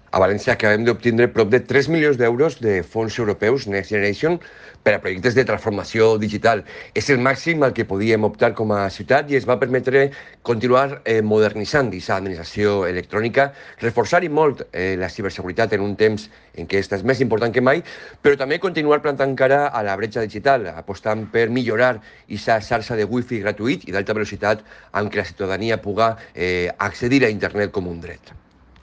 A València acabem d'obtindre prop de 3 milions d'euros de fons europeus Next Generation per a projectes de transformació digital. És el màxim al que podíem optar com a ciutat i es va permetre continuar modernitzant aquesta administració electrònica, reforçar i molt la ciberseguretat en un temps en què aquesta és més important que mai, però també continuar plantant cara a la bretxa digital, apostant per millorar aquesta xarxa de wifi gratuït i d'alta velocitat amb què la ciutadania pugui accedir a internet com un dret.